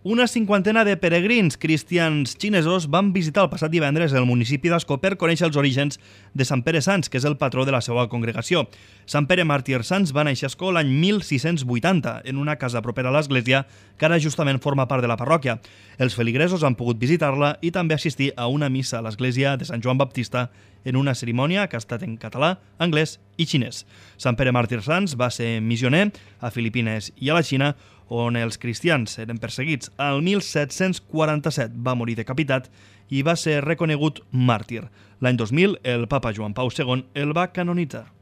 Una cinquantena de peregrins cristians xinesos van visitar el passat divendres el municipi d'Ascó per conèixer els orígens de Sant Pere Sants, que és el patró de la seva congregació. Sant Pere Màrtir Sants va néixer a Ascó l'any 1680, en una casa propera a l'església, que ara justament forma part de la parròquia. Els feligresos han pogut visitar-la i també assistir a una missa a l'església de Sant Joan Baptista en una cerimònia que ha estat en català, anglès i xinès. Sant Pere Màrtir Sants va ser missioner a Filipines i a la Xina, on els cristians eren perseguits. El 1747 va morir decapitat i va ser reconegut màrtir. L'any 2000, el papa Joan Pau II el va canonitzar.